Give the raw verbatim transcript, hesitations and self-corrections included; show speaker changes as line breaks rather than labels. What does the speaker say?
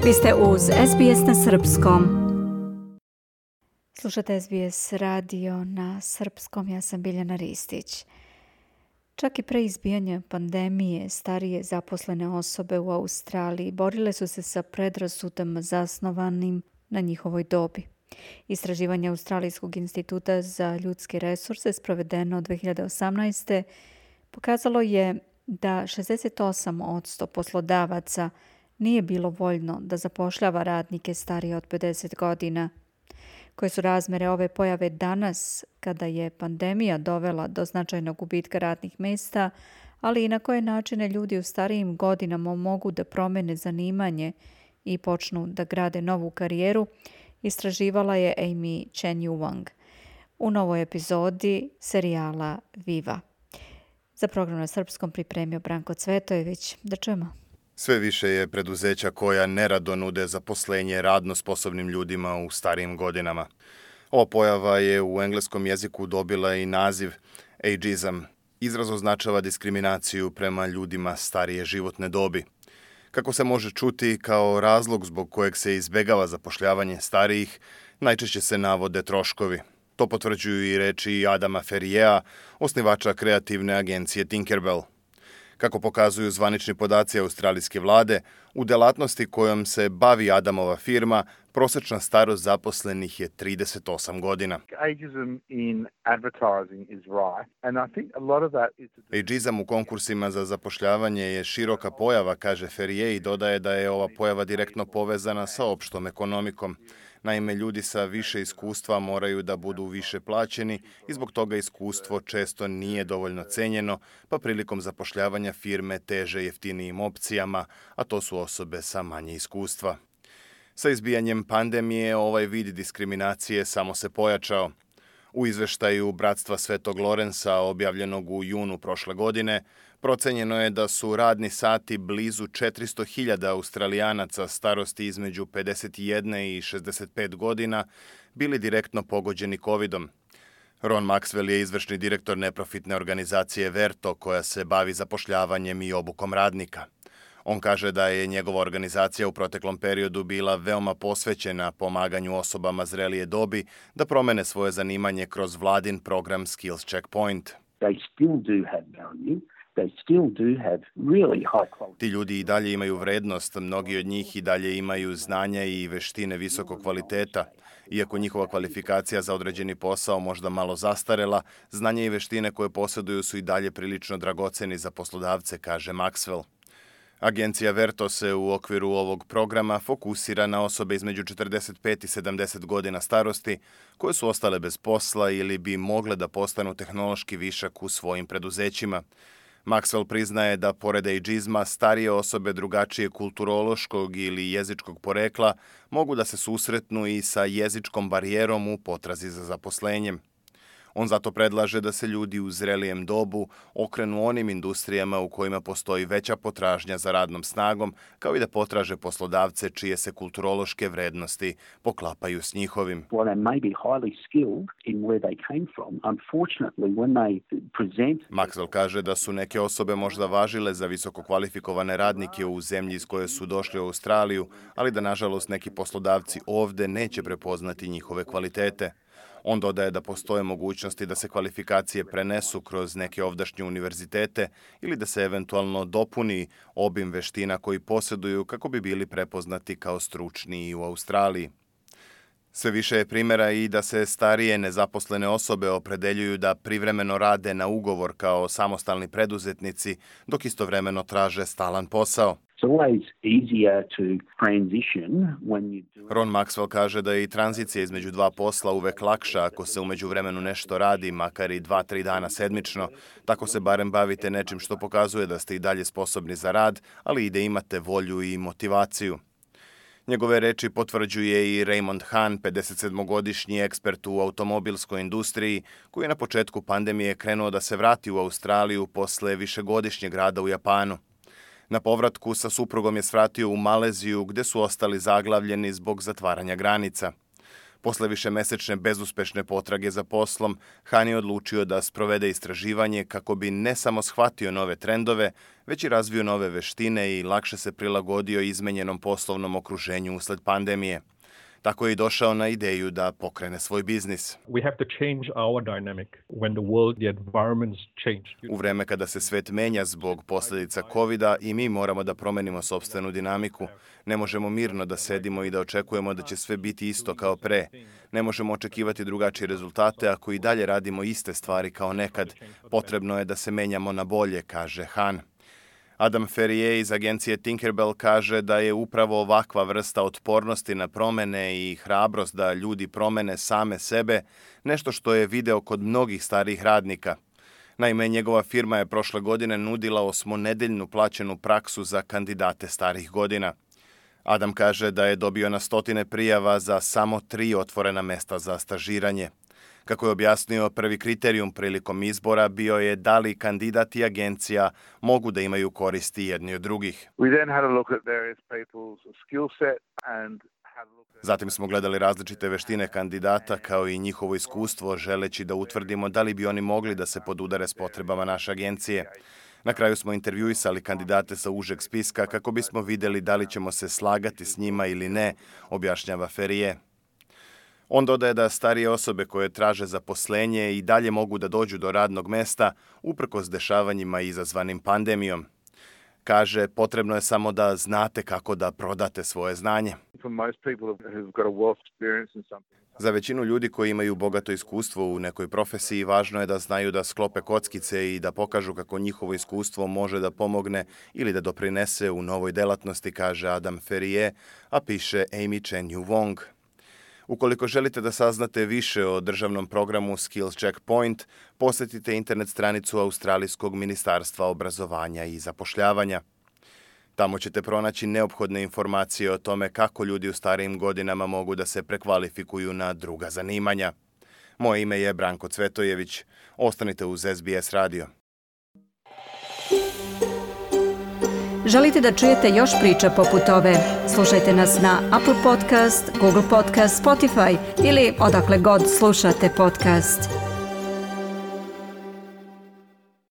Vi ste uz S B S na srpskom. Slušate S B S radio na srpskom, ja sam Biljana Ristić. Čak i pre izbijanja pandemije, starije zaposlene osobe u Australiji borile su se sa predrasudama zasnovanim na njihovoj dobi. Istraživanje Australijskog instituta za ljudske resurse sprovedeno dve hiljade osamnaeste. pokazalo je da šezdeset osam posto poslodavaca nije bilo voljno da zapošljava radnike starije od pedeset godina. Koje su razmere ove pojave danas, kada je pandemija dovela do značajnog gubitka radnih mjesta, ali i na koje načine ljudi u starijim godinama mogu da promene zanimanje i počnu da grade novu karijeru, istraživala je Amy Chen-Yu Wang u novoj epizodi serijala Viva. Za program na srpskom pripremio Branko Cvetojević. Da čujemo.
Sve više je preduzeća koja nerado nude zaposlenje radno sposobnim ljudima u starijim godinama. Ova pojava je u engleskom jeziku dobila i naziv ageism. Izraz označava diskriminaciju prema ljudima starije životne dobi. Kako se može čuti, kao razlog zbog kojeg se izbegava zapošljavanje starijih, najčešće se navode troškovi. To potvrđuju i reči Adama Ferriera, osnivača kreativne agencije Tinkerbell. Kako pokazuju zvanični podaci australijske vlade, u delatnosti kojom se bavi Adamova firma, prosečna starost zaposlenih je trideset osam godina. Ageizam u konkursima za zapošljavanje je široka pojava, kaže Ferrier, i dodaje da je ova pojava direktno povezana sa opštom ekonomikom. Naime, ljudi sa više iskustva moraju da budu više plaćeni i zbog toga iskustvo često nije dovoljno cenjeno, pa prilikom zapošljavanja firme teže jeftinijim opcijama, a to su osobe sa manje iskustva. Sa izbijanjem pandemije ovaj vid diskriminacije samo se pojačao. U izveštaju Bratstva Svetog Lorensa, objavljenog u junu prošle godine, procenjeno je da su radni sati blizu četiristo hiljada Australijanaca starosti između pedeset jedne i šezdeset pet godina bili direktno pogođeni covidom. Ron Maxwell je izvršni direktor neprofitne organizacije Verto, koja se bavi zapošljavanjem i obukom radnika. On kaže da je njegova organizacija u proteklom periodu bila veoma posvećena pomaganju osobama zrelije dobi da promene svoje zanimanje kroz vladin program Skills Checkpoint.
They still do have value. They still do have really high quality.
Ti ljudi i dalje imaju vrednost, mnogi od njih i dalje imaju znanja i veštine visokog kvaliteta. Iako njihova kvalifikacija za određeni posao možda malo zastarela, znanje i veštine koje posjeduju su i dalje prilično dragoceni za poslodavce, kaže Maxwell. Agencija Verto se u okviru ovog programa fokusira na osobe između četrdeset pet i sedamdeset godina starosti koje su ostale bez posla ili bi mogle da postanu tehnološki višak u svojim preduzećima. Maxwell priznaje da pored ageizma starije osobe drugačije kulturološkog ili jezičkog porekla mogu da se susretnu i sa jezičkom barijerom u potrazi za zaposlenjem. On zato predlaže da se ljudi u zrelijem dobu okrenu onim industrijama u kojima postoji veća potražnja za radnom snagom, kao i da potraže poslodavce čije se kulturološke vrednosti poklapaju s njihovim. Maxwell kaže da su neke osobe možda važile za visoko kvalifikovane radnike u zemlji iz koje su došli u Australiju, ali da nažalost neki poslodavci ovde neće prepoznati njihove kvalitete. On dodaje da postoje mogućnosti da se kvalifikacije prenesu kroz neke ovdašnje univerzitete ili da se eventualno dopuni obim veština koji posjeduju kako bi bili prepoznati kao stručni i u Australiji. Sve više je primjera i da se starije nezaposlene osobe opredeljuju da privremeno rade na ugovor kao samostalni preduzetnici, dok istovremeno traže stalan posao. Ron Maxwell kaže da je i tranzicija između dva posla uvek lakša ako se u međuvremenu nešto radi, makar i dva, tri dana sedmično. Tako se barem bavite nečim što pokazuje da ste i dalje sposobni za rad, ali i da imate volju i motivaciju. Njegove reči potvrđuje i Raymond Han, pedesetsedmogodišnji ekspert u automobilskoj industriji, koji je na početku pandemije krenuo da se vrati u Australiju posle višegodišnjeg rada u Japanu. Na povratku sa suprugom je svratio u Maleziju, gde su ostali zaglavljeni zbog zatvaranja granica. Posle višemesečne bezuspešne potrage za poslom, Han je odlučio da sprovede istraživanje kako bi ne samo shvatio nove trendove, već i razvio nove veštine i lakše se prilagodio izmenjenom poslovnom okruženju usled pandemije. Tako je i došao na ideju da pokrene svoj biznis.
We have to change our dynamic when the world, the environments change.
U vreme kada se svet menja zbog posljedica kovida i mi moramo da promenimo sopstvenu dinamiku. Ne možemo mirno da sedimo i da očekujemo da će sve biti isto kao pre. Ne možemo očekivati drugačije rezultate ako i dalje radimo iste stvari kao nekad. Potrebno je da se menjamo na bolje, kaže Han. Adam Ferrier iz agencije Tinkerbell kaže da je upravo ovakva vrsta otpornosti na promene i hrabrost da ljudi promene same sebe nešto što je video kod mnogih starih radnika. Naime, njegova firma je prošle godine nudila osmonedeljnu plaćenu praksu za kandidate starih godina. Adam kaže da je dobio na stotine prijava za samo tri otvorena mesta za stažiranje. Kako je objasnio, prvi kriterijum prilikom izbora bio je da li kandidat i agencija mogu da imaju koristi jedni od drugih. Zatim smo gledali različite veštine kandidata kao i njihovo iskustvo, želeći da utvrdimo da li bi oni mogli da se podudare s potrebama naše agencije. Na kraju smo intervjuisali kandidate sa užeg spiska kako bismo vidjeli da li ćemo se slagati s njima ili ne, objašnjava Ferrier. On dodaje da starije osobe koje traže zaposlenje i dalje mogu da dođu do radnog mesta uprkos dešavanjima izazvanim pandemijom. Kaže, potrebno je samo da znate kako da prodate svoje znanje. Za većinu ljudi koji imaju bogato iskustvo u nekoj profesiji, važno je da znaju da sklope kockice i da pokažu kako njihovo iskustvo može da pomogne ili da doprinese u novoj delatnosti, kaže Adam Ferrier, a piše Amy Chen-Yu Wong. Ukoliko želite da saznate više o državnom programu Skills Checkpoint, posjetite internet stranicu Australijskog ministarstva obrazovanja i zapošljavanja. Tamo ćete pronaći neophodne informacije o tome kako ljudi u starijim godinama mogu da se prekvalifikuju na druga zanimanja. Moje ime je Branko Cvetojević. Ostanite uz S B S radio.
Želite da čujete još priča poput ove? Slušajte nas na Apple Podcast, Google Podcast, Spotify ili odakle god slušate podcast.